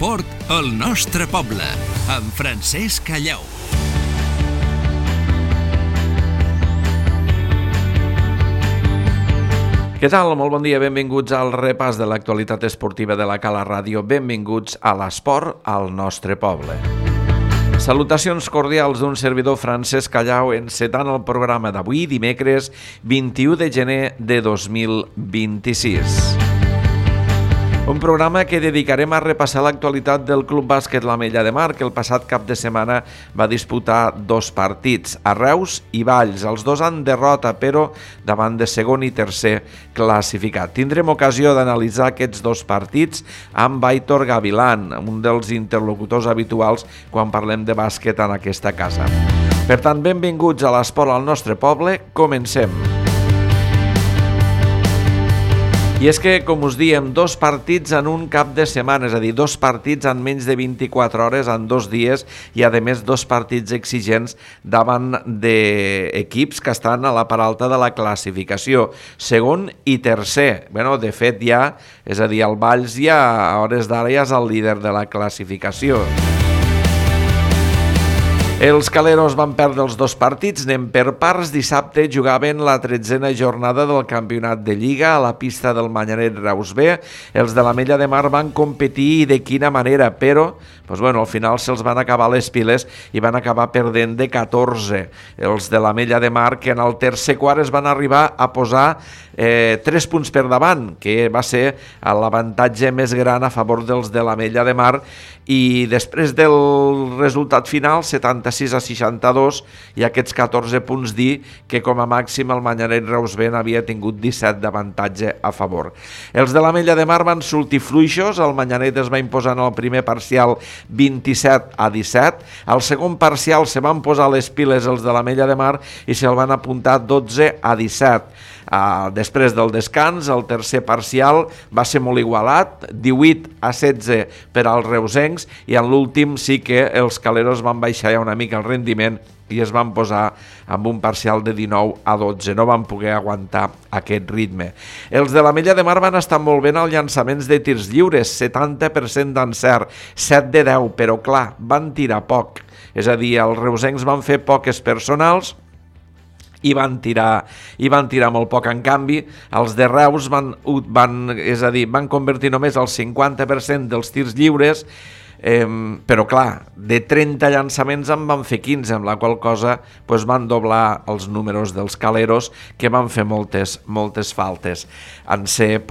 L'esport al nostre poble, amb Francesc Callau. Què tal? Molt bon dia, benvinguts al repàs de l'actualitat esportiva de la Cala Ràdio. Benvinguts a l'esport al nostre poble. Salutacions cordials d'un servidor Francesc Callau encetant el programa d'avui, dimecres 21 de gener de 2026. Un programa que dedicarem a repassar l'actualitat del Club Bàsquet l'Ametlla de Mar, que el passat cap de setmana va disputar 2 partits, a Reus i Valls. Els 2 en derrota, però davant de segon i tercer classificat. Tindrem ocasió d'analitzar aquests 2 partits amb Aitor Gavilán, un dels interlocutors habituals quan parlem de bàsquet en aquesta casa. Per tant, benvinguts a l'esport al nostre poble. Comencem. I és que, com us diem, 2 partits en un cap de setmana, és a dir, 2 partits en menys de 24 hores, en 2 dies, i a més 2 partits exigents davant d'equips que estan a la part alta de la classificació, segon i tercer. De fet, ja, és a dir, el Valls ja, a hores d'ara, ja és el líder de la classificació. Els caleros van perdre els 2 partits, anem per parts. Dissabte jugaven la 13a jornada del campionat de Lliga a la pista del Manyanet Reus B. Els de l'Ametlla de Mar van competir i de quina manera, però al final se'ls van acabar les piles i van acabar perdent de 14. Els de l'Ametlla de Mar, que en el tercer quart es van arribar a posar 3 punts per davant, que va ser l'avantatge més gran a favor dels de l'Ametlla de Mar, i després del resultat final, 76-62, i aquests 14 punts dir que com a màxim el Manyanet Reus B havia tingut 17 d'avantatge a favor. Els de l'Ametlla de Mar van sortir fluixos, el Manyanet es va imposar en el primer parcial 27-17, al segon parcial se van posar les piles els de l'Ametlla de Mar i se'l van apuntar 12-17. Després del descans, el tercer parcial va ser molt igualat, 18-16 per als reusencs, i en l'últim sí que els caleros van baixar ja una mica el rendiment i es van posar amb un parcial de 19-12, no van poder aguantar aquest ritme. Els de l'Ametlla de Mar van estar molt bé en els llançaments de tirs lliures, 70% d'encert, 7 de 10, però clar, van tirar poc, és a dir, els reusencs van fer poques personals i van tirar molt poc. En canvi, els de Reus van convertir només el 50% dels tirs lliures, però clar, de 30 llançaments en van fer 15, amb la qual cosa van doblar els números dels caleros, que van fer moltes faltes en ser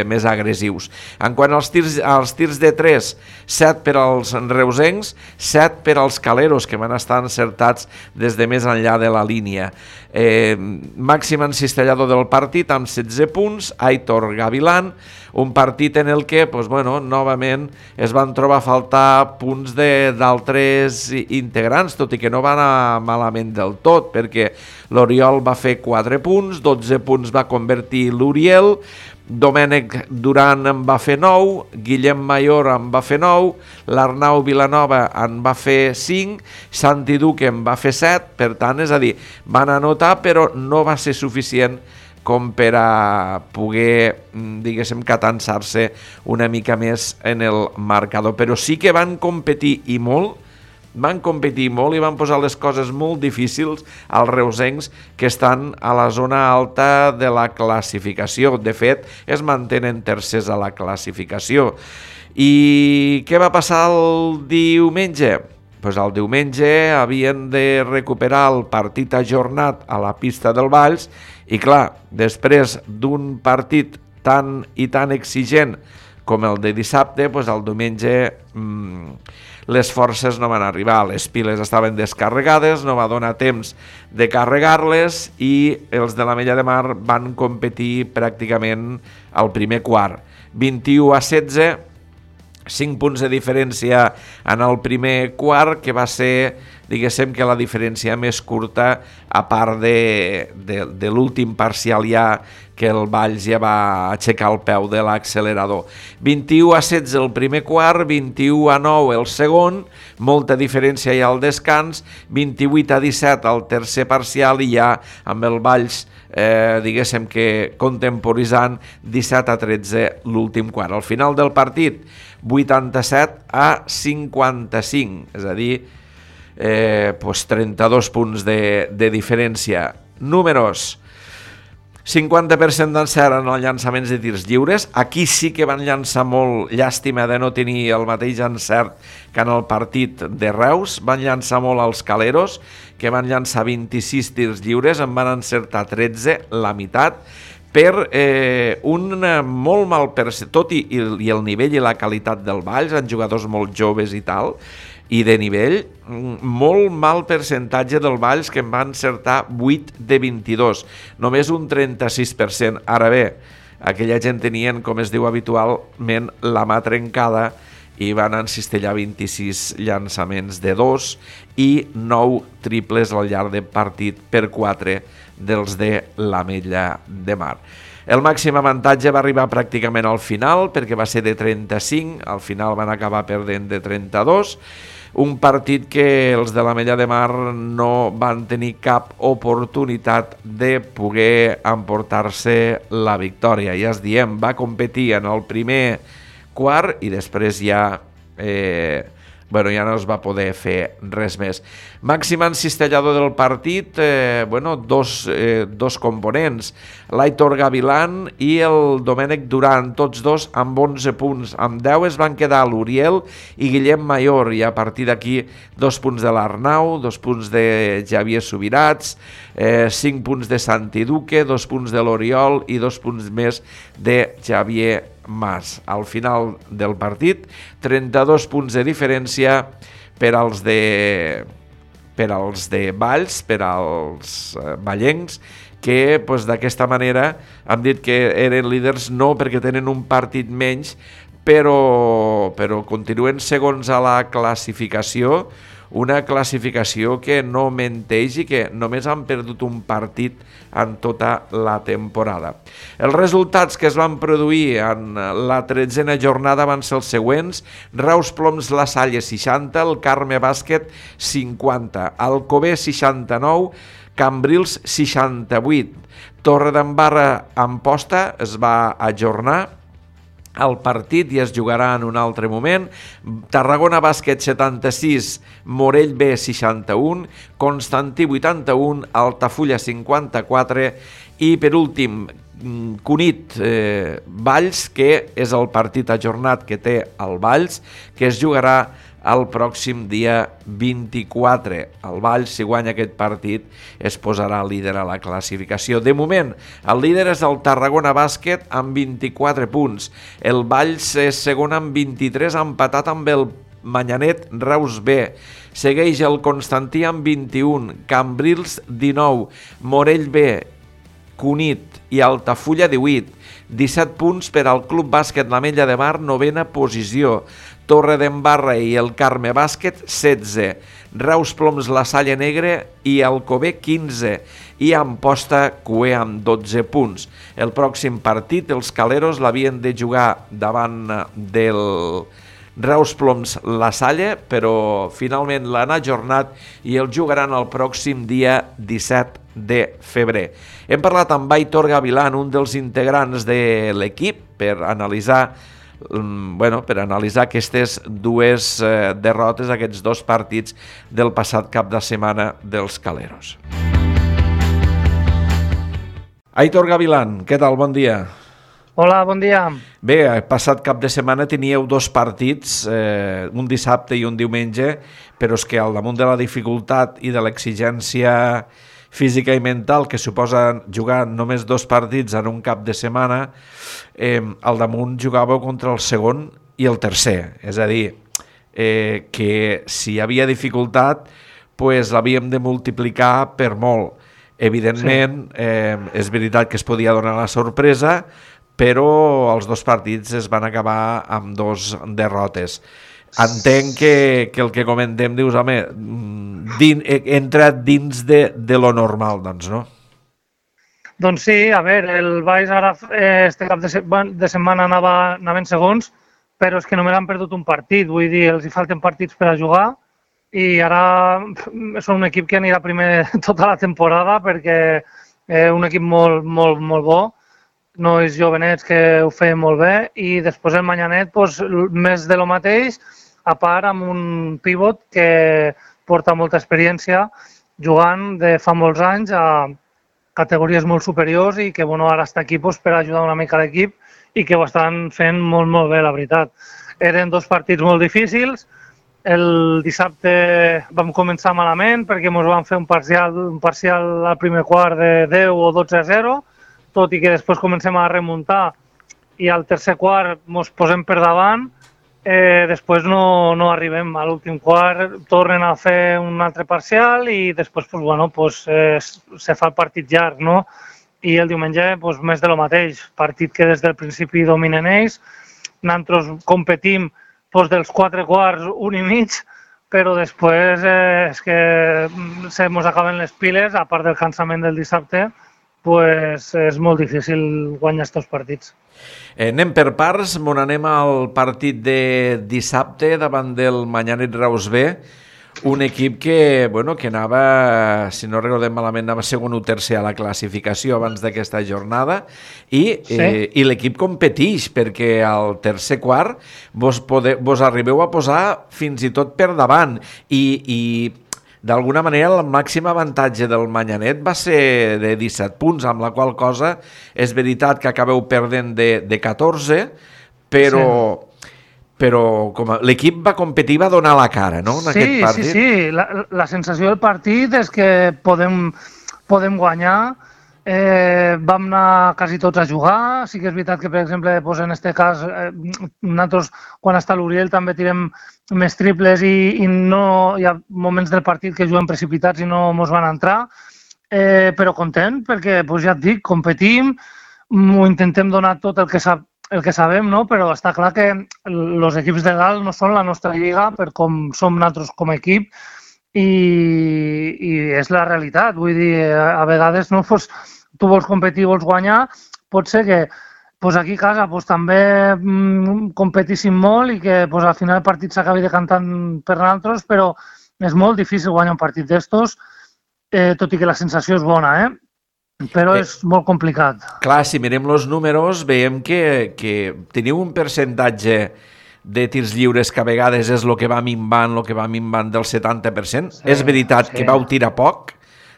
més agressius. En quant als tirs de 3, 7 per als reusencs, 7 per als caleros, que van estar encertats des de més enllà de la línia. Màxim encistellador del partit amb 16 punts, Aitor Gavilán, un partit en el que novament es van trobar a faltar punts d'altres integrants, tot i que no va anar malament del tot, perquè l'Oriol va fer 4 punts, 12 punts va convertir l'Uriel, Domènec Duran en va fer 9, Guillem Mayor en va fer 9, l'Arnau Vilanova en va fer 5, Santi Duque en va fer 7, per tant, és a dir, van anotar, però no va ser suficient com per a poder, catansar-se una mica més en el marcador. Però sí que van competir i molt i van posar les coses molt difícils als reusencs, que estan a la zona alta de la classificació. De fet, es mantenen tercers a la classificació. I què va passar el diumenge? El diumenge havien de recuperar el partit ajornat a la pista del Valls i clar, després d'un partit tan exigent com el de dissabte, el diumenge les forces no van arribar, les piles estaven descarregades, no va donar temps de carregar-les i els de l'Ametlla de Mar van competir pràcticament al primer quart. 21-16, 5 punts de diferència en el primer quart, que va ser, que la diferència més curta, a part de l'últim parcial ja que el Valls ja va aixecar el peu de l'accelerador. 21-16 el primer quart, 21-9 el segon, molta diferència ja al descans, 28-17 el tercer parcial i ja amb el Valls diguéssim que contemporitzant 17-13 l'últim quart. Al final del partit 87-55, és a dir 32 punts de diferència. Números: 50% d'encert en els llançaments de tirs lliures. Aquí sí que van llançar molt, llàstima de no tenir el mateix encert que en el partit de Reus. Van llançar molt els Caleros, que van llançar 26 tirs lliures, en van encertar 13, la meitat, per un molt mal percentatge, tot i el nivell i la qualitat del Valls, en jugadors molt joves i tal, i de nivell, molt mal percentatge del Valls, que en va encertar 8 de 22, només un 36%. Ara bé, aquella gent tenien, com es diu habitualment, la mà trencada i van encistellar 26 llançaments de 2 i 9 triples al llarg del partit per 4 dels de l'Ametlla de Mar. El màxim avantatge va arribar pràcticament al final, perquè va ser de 35, al final van acabar perdent de 32, un partit que els de l'Ametlla de Mar no van tenir cap oportunitat de poder emportar-se la victòria. Ja es diem, va competir en el primer quart i després ja ja no es va poder fer res més. Màxim encistellador del partit, dos components, l'Aitor Gavilán i el Domènec Duran, tots dos amb 11 punts. Amb 10 es van quedar l'Uriel i Guillem Mayor, i a partir d'aquí 2 punts de l'Arnau, 2 punts de Javier Subirats, 5 punts de Santi Duque, 2 punts de l'Oriol i 2 punts més de Javier Mas. Al final del partit, 32 punts de diferència per als de Valls, per als ballencs, que d'aquesta manera han dit que eren líders no perquè tenen un partit menys, però continuen segons a la classificació, una classificació que no menteix i que només han perdut un partit en tota la temporada. Els resultats que es van produir en la 13a jornada van ser els següents: Reus Ploms La Salle 60, el Carme Bàsquet 50, Alcover 69, Cambrils 68, Torredembarra Amposta es va ajornar el partit i es jugarà en un altre moment. Tarragona Bàsquet 76, Morell B 61, Constantí 81, Altafulla 54 i per últim Cunit Valls, que és el partit ajornat que té el Valls, que es jugarà el pròxim dia 24. El Valls, si guanya aquest partit, es posarà líder a la classificació. De moment, el líder és el Tarragona Bàsquet amb 24 punts. El Valls és segon amb 23, empatat amb el Manyanet Reus B. Segueix el Constantí amb 21, Cambrils 19, Morell B, Cunit i Altafulla 18, 17 punts per al Club Bàsquet l'Ametlla de Mar, novena posició. Torredembarra i el Carme Bàsquet 16, Reus Ploms La Salle Negre i Alcover 15 i Amposta Cué amb 12 punts. El pròxim partit els Caleros l'havien de jugar davant del Reus Ploms La Salle, però finalment l'han ajornat i el jugaran el pròxim dia 17 de febrer. Hem parlat amb Aitor Gavilán, un dels integrants de l'equip, per analitzar aquestes dues derrotes, aquests dos partits del passat cap de setmana dels Caleros. Aitor Gavilán, què tal? Bon dia. Hola, bon dia. Bé, el passat cap de setmana teníeu dos partits, un dissabte i un diumenge, però és que al damunt de la dificultat i de l'exigència física i mental que suposa jugar només dos partits en un cap de setmana, al damunt jugàveu contra el segon i el tercer. És a dir, que si hi havia dificultat, l'havíem de multiplicar per molt. Evidentment, és veritat que es podia donar la sorpresa, però els dos partits es van acabar amb dos derrotes. Entenc que el que comentem, dius, home, entra dins de lo normal, doncs, no? Doncs sí, a veure, el Valls ara este cap de setmana anaven segons, però és que només han perdut un partit, vull dir, els hi falten partits per a jugar i ara són un equip que anirà primer tota la temporada perquè és un equip molt, molt, molt bo, nois jovenets que ho feien molt bé i després el Manyanet doncs, més de lo mateix, a part amb un pivot que porta molta experiència jugant de fa molts anys a categories molt superiors i que bueno, ara està aquí doncs, per ajudar una mica l'equip i que ho estan fent molt, molt bé, la veritat. Eren dos partits molt difícils. El dissabte vam començar malament perquè ens van fer un parcial al primer quart de 10 o 12-0, tot i que després comencem a remuntar i al tercer quart ens posem per davant, després no arribem a l'últim quart, tornen a fer un altre parcial i després pues, bueno, pues, se fa el partit llarg, no? I el diumenge pues, més de lo mateix, partit que des del principi dominen ells, nosaltres competim pues, dels 4 quarts, 1 i mig, però després és que se mos acaben les piles, a part del cansament del dissabte, pues, és molt difícil guanyar aquests partits. Anem per parts, anem al partit de dissabte davant del Manyanet Reus B, un equip que, bueno, que anava, si no recordem malament, anava segon o tercer a la classificació abans d'aquesta jornada i l'equip competeix perquè al tercer quart vos arribeu a posar fins i tot per davant i d'alguna manera el màxim avantatge del Manyanet va ser de 17 punts, amb la qual cosa és veritat que acabeu perdent de 14, però l'equip va competir, va donar la cara, no? En aquest partit. Sí. La sensació del partit és que podem guanyar. Vam anar quasi tots a jugar. Sí que és veritat que, per exemple, doncs en aquest cas, nosaltres, quan està l'Uriel, també tirem més triples i no hi ha moments del partit que juguem precipitats i no ens van entrar. Però content, perquè, doncs ja et dic, competim, ho intentem donar tot el que sabem, no? Però està clar que els equips de dalt no són la nostra lliga per com som nosaltres com a equip i és la realitat. Vull dir, a vegades no, doncs, tu vols competir, vols guanyar, pot ser que doncs aquí a casa doncs, també competíssim molt i que doncs, al final el partit s'acabi decantant per nosaltres, però és molt difícil guanyar un partit d'estos, tot i que la sensació és bona, però és molt complicat. Clar, si mirem els números veiem que teniu un percentatge de tirs lliures que a vegades és el que va minvant del 70%. És veritat que vau tirar poc,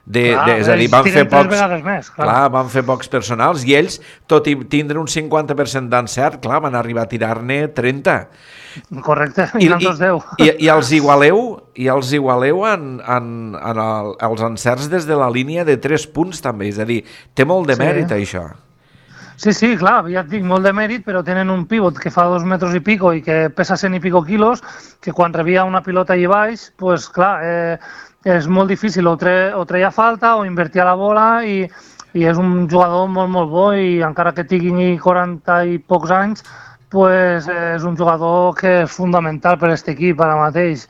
és a dir, van fer pocs personals i ells, tot i tindre un 50% d'encert, clar, van arribar a tirar-ne 30. Correcte, i nosaltres 10. I els igualeu en els encerts des de la línia de 3 punts també, és a dir, té molt de mèrit això. Sí, clar, ja et dic, molt de mèrit, però tenen un pivot que fa 2 metres i pico i que pesa 100 i pico quilos, que quan rebia una pilota allà baix, doncs clar, és molt difícil, o treia falta o invertia la bola i és un jugador molt, molt bo i encara que tingui 40 i pocs anys, doncs és un jugador que és fundamental per a aquest equip ara mateix.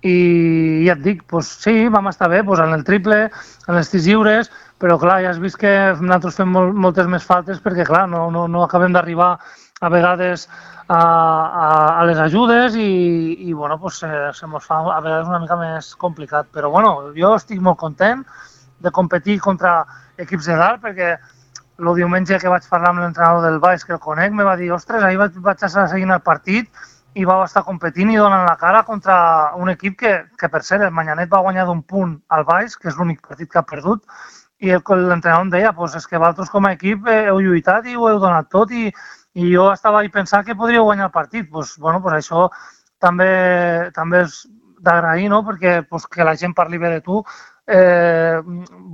I ja et dic, doncs sí, vam estar bé en el triple, en els tirs lliures, però clar, ja has vist que nosaltres fem moltes més faltes perquè clar, no acabem d'arribar a vegades a les ajudes i bueno, pues, se mos fa a vegades una mica més complicat. Però bueno, jo estic molt content de competir contra equips de dalt perquè el diumenge que vaig parlar amb l'entrenador del Valls, que el conec, me va dir, ostres, ahir vaig estar seguint el partit i vau estar competint i donant la cara contra un equip que per cert, el Manyanet va guanyar d'un punt al Valls, que és l'únic partit que ha perdut, i l'entrenador em deia, pues, és que vosaltres com a equip heu lluitat i ho heu donat tot i jo estava ahí pensant que podríeu guanyar el partit. Pues, bueno, pues això també és d'agrair, no? Perquè pues, que la gent parli bé de tu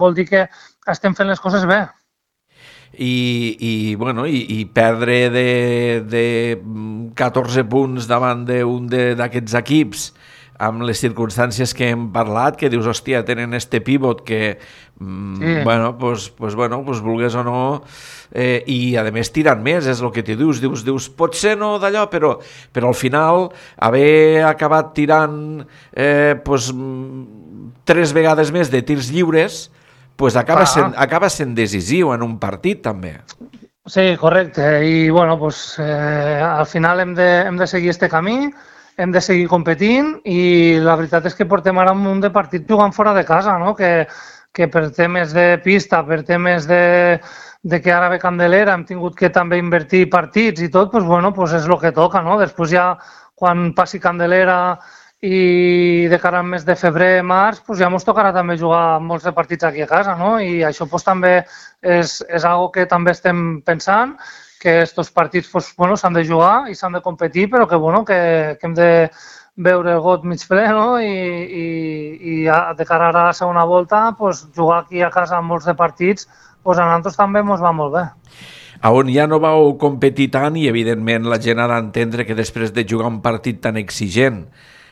vol dir que estem fent les coses bé. I perdre de 14 punts davant d'un d'aquests equips amb les circumstàncies que hem parlat, que dius, hòstia, tenen este pivot que, vulgués o no, i a més tirant més, és el que t'hi dius, potser no d'allò, però al final haver acabat tirant 3 vegades més de tirs lliures, pues acaba sent decisiu en un partit, també. Sí, correcte. I, bueno, pues, al final hem de seguir este camí, hem de seguir competint i la veritat és que portem ara un munt de partits jugant fora de casa, no? Que per temes de pista, per temes de que ara ve Candelera, hem tingut que també invertir partits i tot, pues, bueno, pues és el que toca, no? Després ja, quan passi Candelera i de cara al mes de febrer, març, pues ja ens tocarà també jugar molts de partits aquí a casa, no? I això pues, també és algo que també estem pensant, que aquests partits pues, bueno, s'han de jugar i s'han de competir, però que, bueno, que hem de veure el got mig ple, no? I de cara a la segona volta, pues, jugar aquí a casa molts de partits, pues, a nosaltres també ens va molt bé. On ja no vau competir tant i, evidentment, la gent ha d'entendre que després de jugar un partit tan exigent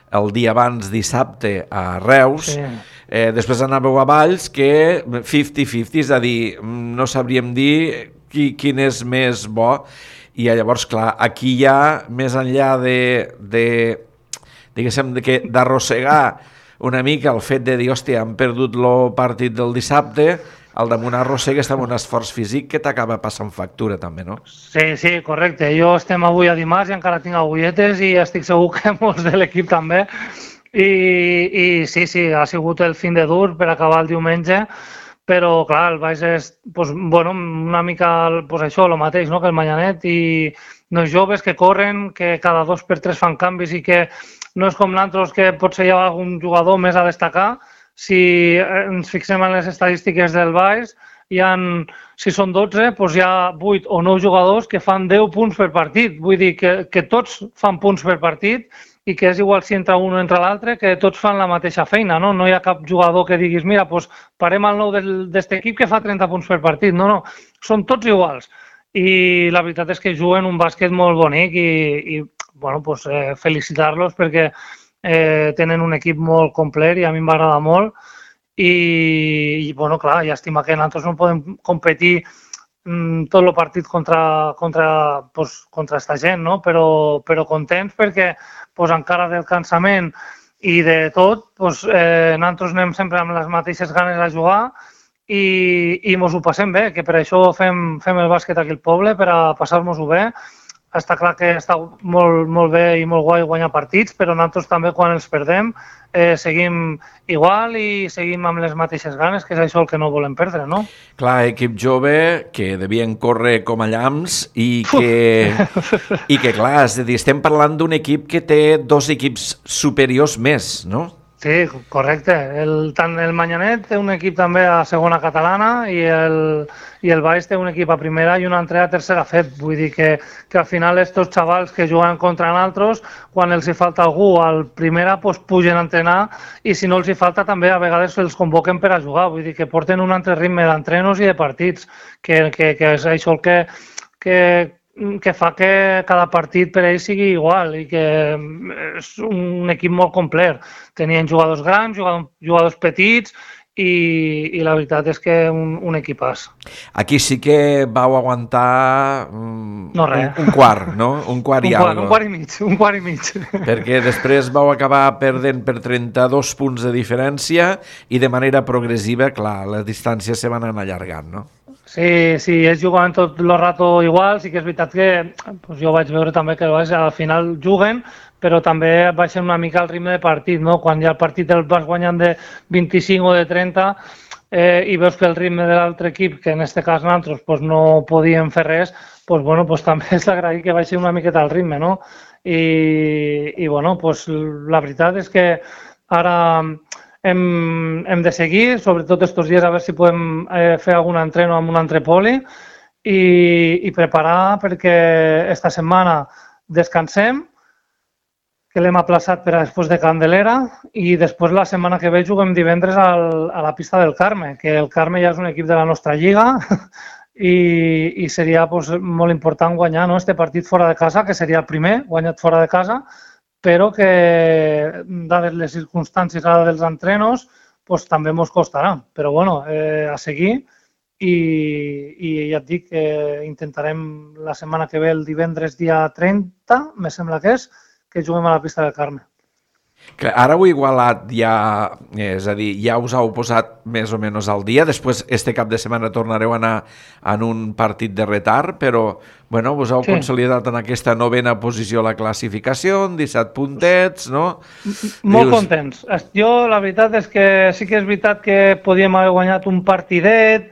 el dia abans, dissabte, a Reus, sí. Després anàveu a Valls, que 50-50, és a dir, no sabríem dir quin és més bo, i llavors, clar, aquí ja, més enllà d'arrossegar una mica el fet de dir, hòstia, han perdut el partit del dissabte, al damunt arrossegues amb un esforç físic que t'acaba passant factura també, no? Sí, correcte. Jo estem avui a dimarts i encara tinc agulletes i estic segur que molts de l'equip també. I sí, ha sigut el fin de dur per acabar el diumenge, però clar, el Baix és pues, bueno, una mica pues, això, el mateix, no? Que el Manyanet, i nois joves que corren, que cada 2 per 3 fan canvis i que no és com l'altres que potser hi ha algun jugador més a destacar. Si ens fixem en les estadístiques del Baix, si són 12, doncs hi ha 8 o 9 jugadors que fan 10 punts per partit. Vull dir que tots fan punts per partit i que és igual si entra un o entra l'altre, que tots fan la mateixa feina. No hi ha cap jugador que diguis, mira, doncs parem al nou d'aquest equip que fa 30 punts per partit. No, són tots iguals. I la veritat és que juguen un bàsquet molt bonic i bueno, doncs, felicitar-los perquè tenen un equip molt complet i a mi m'agrada molt i bueno, clar, llàstima que nosaltres no podem competir tot el partit contra esta gent, no? Però contents perquè encara del cansament i de tot, nosaltres anem sempre amb les mateixes ganes a jugar i mos ho passem bé, que per això fem el bàsquet aquí al poble, per a passar-nos-ho bé. Està clar que està molt bé i molt guai guanyar partits, però nosaltres també quan els perdem seguim igual i seguim amb les mateixes ganes, que és això el que no volem perdre, no? Clar, equip jove que devien córrer com a llamps i que clar, és a dir, estem parlant d'un equip que té 2 equips superiors més, no? Sí, correcte. Tant el Manyanet té un equip també a segona catalana i el Baix té un equip a primera i un altre a tercera fet. Vull dir que al final estos xavals que juguen contra nosaltres, quan els hi falta algú al primera, pugen a entrenar i si no els hi falta també a vegades els convoquen per a jugar. Vull dir que porten un altre ritme d'entrenos i de partits, que és això el que fa que cada partit per ells sigui igual i que és un equip molt complet. Tenien jugadors grans, jugadors petits i la veritat és que un equipàs. Aquí sí que vau aguantar un quart, no? Un quart i algo. Un quart i mig. Perquè després vau acabar perdent per 32 punts de diferència i de manera progressiva, clar, les distàncies se van anar allargant, no? Sí, ells jugaven tot el rato igual, sí que és veritat que jo vaig veure també que al final juguen, però també baixen una mica el ritme de partit, no? Quan ja el partit el vas guanyant de 25 o de 30 i veus que el ritme de l'altre equip, que en aquest cas nosaltres no podíem fer res, també és d'agrair que baixi una miqueta el ritme, no? I la veritat és que ara hem de seguir, sobretot aquests dies, a veure si podem fer algun entreno amb un altre poli i preparar perquè esta setmana descansem, que l'hem aplaçat per a després de Candelera i després la setmana que ve juguem divendres a la pista del Carme, que el Carme ja és un equip de la nostra lliga i seria molt important guanyar este partit fora de casa, que seria el primer guanyat fora de casa, però que, dades les circumstàncies ara dels entrenos, també ens costarà. Però, a seguir i ja et dic que intentarem la setmana que ve, el divendres dia 30, me sembla que juguem a la pista del Carme. Ara ho he igualat ja, és a dir, ja us heu posat més o menys al dia, després este cap de setmana tornareu a anar en un partit de retard, però bueno, us heu consolidat en aquesta 9a posició a la classificació, 17 puntets, no? Molt contents. Jo la veritat és que sí que és veritat que podíem haver guanyat un partidet,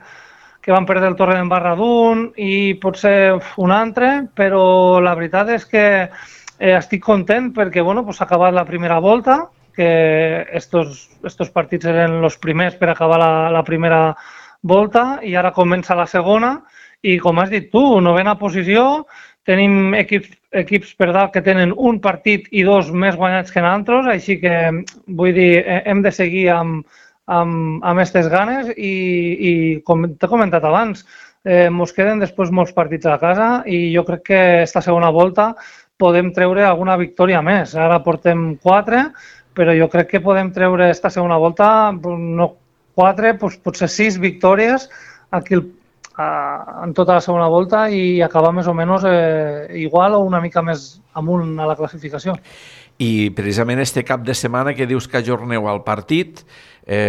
que van perdre el Torrent Barradun i potser un altre, però la veritat és que estic content perquè s'ha acabat la primera volta, que estos partits eren els primers per acabar la primera volta i ara comença la segona i com has dit tu, 9a posició, tenim equips per dalt que tenen un partit i 2 més guanyats que nosaltres, així que vull dir, hem de seguir amb aquestes ganes i com t'he comentat abans, ens queden després molts partits a casa i jo crec que esta segona volta podem treure alguna victòria més. Ara portem 4, però jo crec que podem treure esta segona volta, no 4, potser 6 victòries aquí en tota la segona volta i acabar més o menys igual o una mica més amunt a la classificació. I precisament este cap de setmana que dius que ajorneu al partit,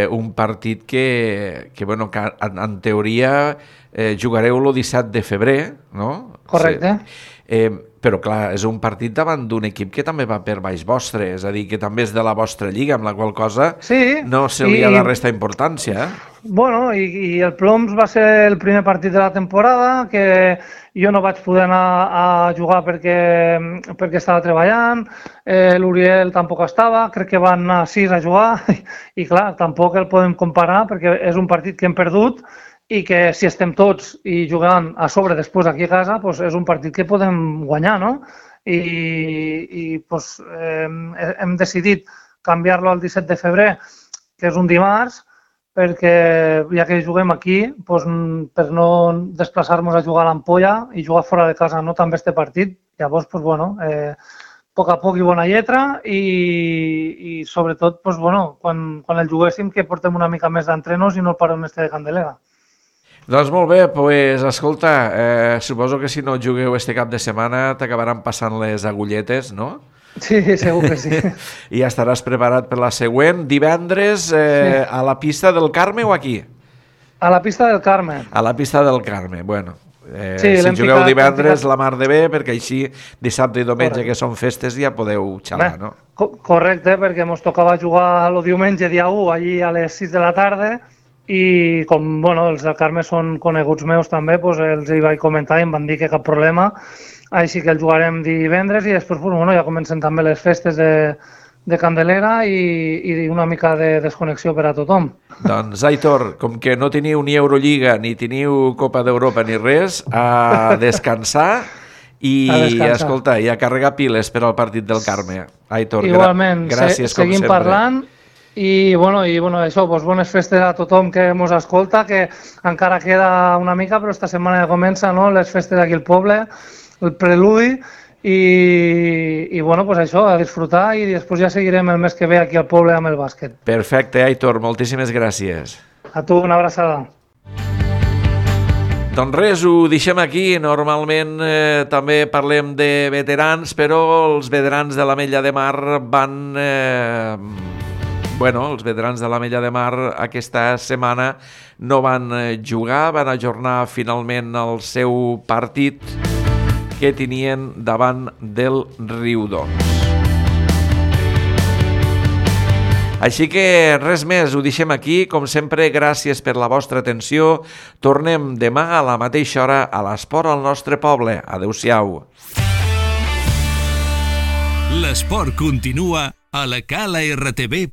un partit que en teoria jugareu el 17 de febrer, no? Correcte. Però clar, és un partit davant d'un equip que també va per baix vostre, és a dir, que també és de la vostra lliga, amb la qual cosa no se li ha de restar importància. Bueno, i el Ploms va ser el primer partit de la temporada, que jo no vaig poder anar a jugar perquè estava treballant, l'Uriel tampoc estava, crec que van anar 6 a jugar, i clar, tampoc el podem comparar perquè és un partit que hem perdut, i que si estem tots i jugant a sobre després aquí a casa, és un partit que podem guanyar, no? I hem decidit canviar-lo al 17 de febrer, que és un dimarts, perquè ja que juguem aquí, per no desplaçar-nos a jugar a l'Ampolla i jugar fora de casa no també este partit, llavors, a poc a poc i bona lletra i sobretot, quan el juguéssim que portem una mica més d'entrenos i no el parem este de Candelera. Doncs molt bé, escolta, suposo que si no jugueu este cap de setmana t'acabaran passant les agulletes, no? Sí, segur que sí. I ja estaràs preparat per la següent. Divendres a la pista del Carme o aquí? A la pista del Carme. A la pista del Carme, bueno. Si jugueu divendres la mar de bé, perquè així dissabte i diumenge que són festes ja podeu xalar, no? Correcte, perquè ens tocava jugar el diumenge dia 1 allí a les 6 de la tarda i com els del Carme són coneguts meus també, els hi vaig comentar i em van dir que cap problema, així que el jugarem divendres i després ja comencen també les festes de Candelera i una mica de desconnexió per a tothom. Doncs, Aitor, com que no teniu ni Eurolliga, ni teniu Copa d'Europa ni res, a descansar i escolta, i a carregar piles per al partit del Carme. Aitor, igualment, gràcies com sempre. Seguim parlant. I això, bones festes a tothom que ens escolta, que encara queda una mica, però esta setmana ja comença, no?, les festes aquí al poble, el preludi, i això, a disfrutar i després ja seguirem el mes que ve aquí al poble amb el bàsquet. Perfecte, Aitor, moltíssimes gràcies. A tu, una abraçada. Doncs res, ho deixem aquí. Normalment també parlem de veterans, però els veterans de l'Ametlla de Mar els veterans de l'Ametlla de Mar aquesta setmana no van jugar, van ajornar finalment el seu partit que tenien davant del Riudoms. Així que res més, ho deixem aquí. Com sempre, gràcies per la vostra atenció. Tornem demà a la mateixa hora a l'Esport al nostre poble. Adéu-siau. L'esport continua a la calartv.cat.